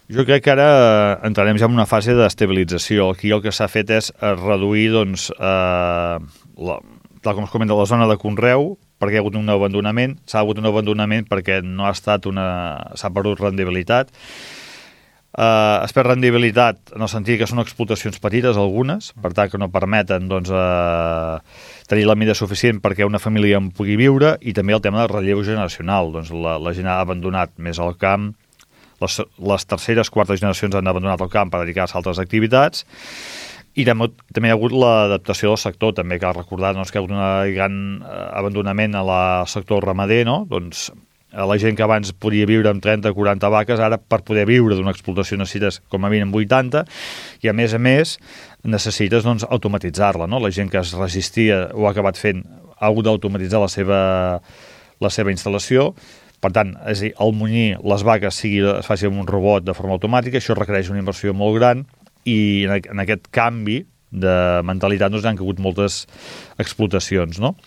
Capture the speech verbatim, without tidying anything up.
Jo crec que ara entrarem ja en una fase d'estabilització. Aquí el que s'ha fet és reduir, doncs, eh, la, tal com es comenta, la zona de conreu, perquè hi ha hagut un abandonament. S'ha hagut un abandonament perquè no ha estat una... s'ha perdut rendibilitat. Eh, es perd rendibilitat en el sentit que són explotacions petites, algunes, per tant que no permeten, doncs, eh, tenir la mida suficient perquè una família en pugui viure, i també el tema del relleu generacional. Doncs la, la gent ha abandonat més el camp. Les, les terceres, quartes generacions han abandonat el camp per dedicar-se a altres activitats, i també, també hi ha hagut l'adaptació del sector. També cal recordar, doncs, que hi ha hagut un gran abandonament al sector ramader, no? Doncs la gent que abans podia viure amb trenta o quaranta vaques, ara per poder viure d'una explotació necessites com a mínim vuitanta, i a més a més necessites, doncs, automatitzar-la, no? La gent que es resistia o ha acabat fent ha hagut d'automatitzar la seva, la seva instal·lació. Per tant, és a dir, el munyir les vaques sigui, es faci amb un robot de forma automàtica, això requereix una inversió molt gran, i en aquest canvi de mentalitat, doncs, han caigut moltes explotacions, no?